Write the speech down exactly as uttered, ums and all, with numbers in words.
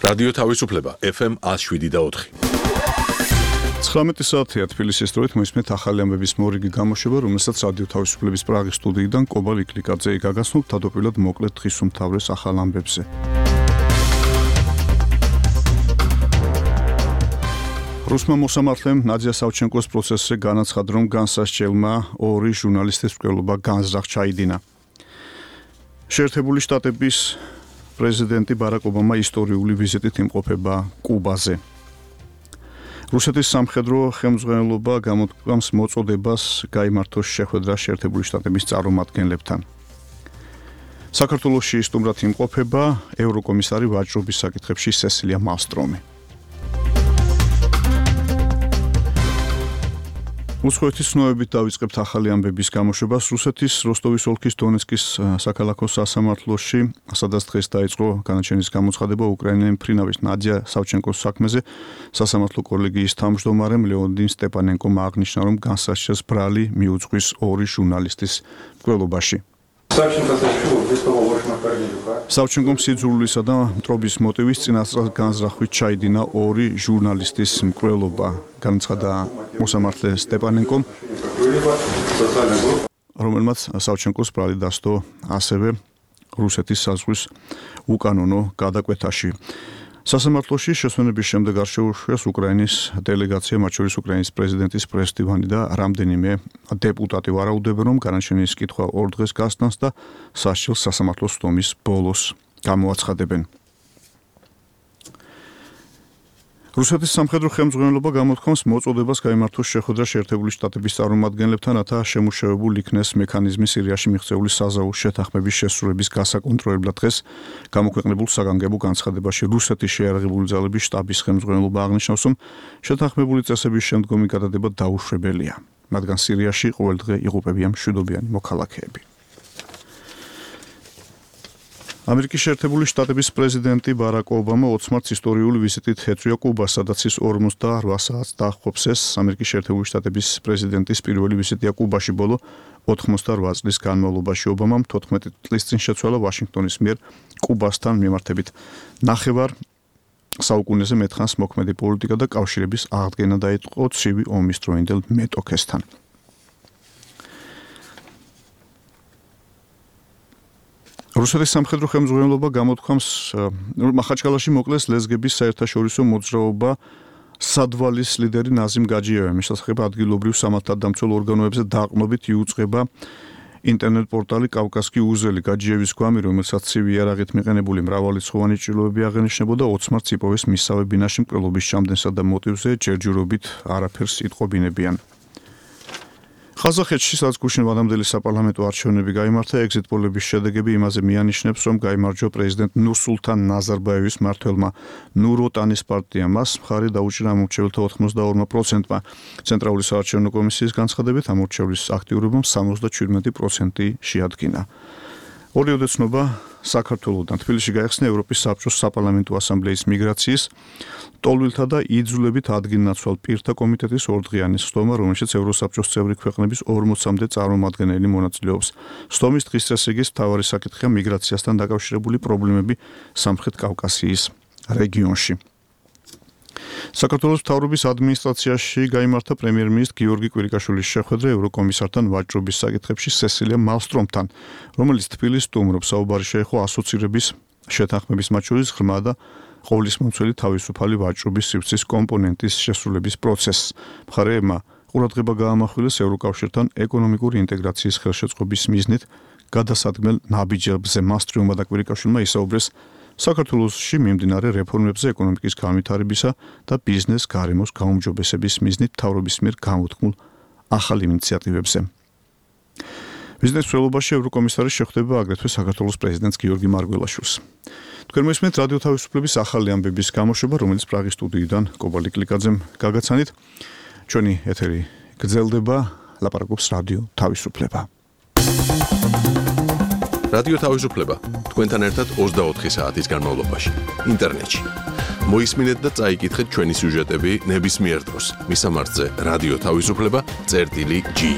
რადიო თავისუფლება ეფ ემ one oh seven და four. ცხრამეტი საათია თბილისის დროით მოისმენთ ახალი ამბების მორიგი გამოშვება, რომელსაც რადიო თავისუფლების პრაღის სტუდიიდან კობალ იკლიკაძე გაგაცნობთ თავდაპირველად მოკლედ დღის უმთავრეს ახალ ამბებზე. რუსმა მოსამართლემ ნადია სავჩენკოს პროცესზე განაცხადა, რომ განსასჯელმა ორი ჟურნალისტის მკვლელობა განზრახ ჩაიდინა. შეერთებული შტატების პრეზიდენტი ბარაკ ობამა ისტორიული ვიზიტით იმყოფება კუბაზე. რუსეთის სამხედრო ხელმძღვანელობა გამოთქვამს მოწოდებას გაიმართოს შეხვედრა შეერთებული შტატების წარმომადგენლებთან. საქართველოში სტუმრად იმყოფება ევროკომისარი ვაჭრობის საკითხებში სესილია მალსტრომი. უცხოეთის ცნობებით დავიწყებთ ახალი ამბების გამოშვებას. რუსეთის როსტოვის ოლქის დონეცკის საქალაქო სასამართლოში, სადაც დღეს დაიწყო განაჩენის გამოცხადება უკრაინელი მფრინავის ნადია სავჩენკოს საქმეზე, სასამართლო კოლეგიის თავმჯდომარემ ლეონიდ სტეპანენკომ აღნიშნა, რომ განსასჯელს ბრალი მიუძღვის ორი ჟურნალისტის მკვლელობაში. სავჩენკომ სიძულვილისა და მტრობის მოტივის წინასწარ განზრახვით ჩაიდინა ორი ჟურნალისტის მკვლელობა, განაცხადა მოსამართლე სტეპანენკომ, რომელმაც სავჩენკოს ბრალი დასდო ასევე რუსეთის საზღვრის უკანონო გადაკვეთაში. სასამართლოში შესვენების შემდეგ არ შეუშვეს უკრაინის დელეგაცია, მათ შორის უკრაინის პრეზიდენტის პრესდივანი და რამდენიმე დეპუტატი ვარაუდობენ, რომ განაჩენის კითხვა ორ დღეს გასტანს და სასჯელს სასამართლოს სტომის ბოლოს გამოაცხადებენ. რუსეთის სამხედრო ხელმძღვანელობა გამოთქვამს მოწოდებას გაიმართოს შეხვედრა შეერთებული შტატების წარმომადგენლებთან, რათა შემუშავებულ იქნეს მექანიზმი სირიაში მიღწეული საზავო შეთანხმების შესრულების გასაკონტროლებლად. დღეს გამოქვეყნებულ საგანგებო განცხადებაში რუსეთის შეიარაღებული ძალების შტაბის ხელმძღვანელობა აღნიშნავს, რომ შეთანხმებული წესების შემდგომი გადადება დაუშვებელია, რადგან სირიაში ყოველდღე იღუპებიან მშვიდობიანი მოქალაქეები. ამერიკის შეერთებული შტატების პრეზიდენტი ბარაკ ობამა ოცი მარტს ისტორიული ვიზიტით ეწვია კუბას, სადაც ის ორმოცდაოთხ საათს დაახობს. ეს ამერიკის შეერთებული შტატების პრეზიდენტის პირველი ვიზიტია კუბაში ბოლო ოთხმოცდაოთხ წლის განმავლობაში. ობამამ თოთხმეტი წლის წინ შეცვალა ვაშინგტონის მიერ კუბასთან მიმართებით ნახევარ საუკუნეზე მეტხანს მოქმედი პოლიტიკა და კავშირების აღდგენა დაიწყო ცივი ომის დროინდელ მეტოქესთან. რუსეთის სამხედრო ხელმძღვანელობა გამოთქვამს, რომ მახაჩკალაში მოკლეს ლეზგების საერთაშორისო მოძრაობა სადვალის ლიდერი ნაზიმ გაჯიევი. შესაძლოა ადგილობრივ სამართალდამცველ ორგანოებზე დაყრდნობით იუწყება ინტერნეტ პორტალი კავკასკი უზელი. გაჯიევის გვამი, რომელსაც ცივი იარაღით მიყენებული მრავალრიცხოვანი ჭრილობები აღენიშნებოდა, ოცი მარტს იპოვეს მისსავე ბინაში მკვლელობის ჩამდენსა და მოტივზე ჯერჯერობით არაფერს იტყობინებიან. ხაზახეთში, სადაც გუშინვადამდელი საპარლამენტო არჩევნები გაიმართა, ეგზიტ პოლების შედეგები იმაზე მიანიშნებს, რომ გაიმარჯვა პრეზიდენტ ნურსულთან ნაზარბაევის მმართველმა ნუროტანის პარტიამ. მას მხარი დაუჭირა ამორჩეველთა ოთხმოცდაორ პროცენტმა. ცენტრალური საარჩევნო კომისიის განცხადებით, ამორჩევლის აქტიურობამ სამოცდაჩვიდმეტი პროცენტი შეადგინა. ორიოდე ცნობა საქართველოდან თბილისში გაიხსნა ევროპის საბჭოს საპარლამენტო ასამბლეის მიგრაციის, ტოლვილთა და იძულებით ადგილნაცვალ პირთა კომიტეტის ორდღიანი სხდომა, რომელშიც ევროსაბჭოს წევრი ქვეყნების ორმოცამდე წარმომადგენელი მონაწილეობს. სხდომის დღის წესრიგის მთავარი საკითხია მიგრაციასთან დაკავშირებული პრობლემები სამხრეთ კავკასიის რეგიონში. საქართველოს მთავრობის ადმინისტრაციაში გაიმართა პრემიერ-მინისტრ გიორგი კვირიკაშვილის შეხვედრა ევროკომისართან ვაჭრობის საკითხებში სესილია მალსტრომთან, რომელიც თბილისს სტუმრობს. საუბარი შეეხო ასოცირების შეთანხმების, მათ შორის ღრმა და ყოვლისმომცველი თავისუფალი ვაჭრობის სივრცის კომპონენტის შესრულების პროცესს. მხარეებმა ყურადღება გაამახვილეს ევროკავშირთან ეკონომიკური ინტეგრაციის ხელშეწყობის მიზნით გადასადგმელ ნაბიჯებზე. მალსტრომმა და კვირიკაშვილმა ისაუბრეს საქართველოში მიმდინარე რეფორმებზე, ეკონომიკის განვითარებისა და ბიზნეს გარემოს გაუმჯობესების მიზნით მთავრობის მიერ გამოთქმულ ახალ ინიციატივებზე. ბიზნეს მცველობაში ევროკომისარი შეხვდება აგრეთვე საქართველოს პრეზიდენტს გიორგი მარგველაშვილს. თქვენ მოისმენთ რადიო თავისუფლების ახალი ამბების გამოშვება, რომელიც პრაღის სტუდიიდან კობალ იკლიკაძემ გაგაცანით. ჩვენი ეთერი გრძელდება, ლაპარაკობს რადიო თავისუფლება. რადიო თავისუფლება თქვენთან ერთად ოცდაოთხი საათის განმავლობაში ინტერნეტში. მოისმინეთ და წაიკითხეთ ჩვენი სიუჟეტები ნებისმიერ დროს. მისამართზე რადიო თავისუფლება წერტილი ჯი.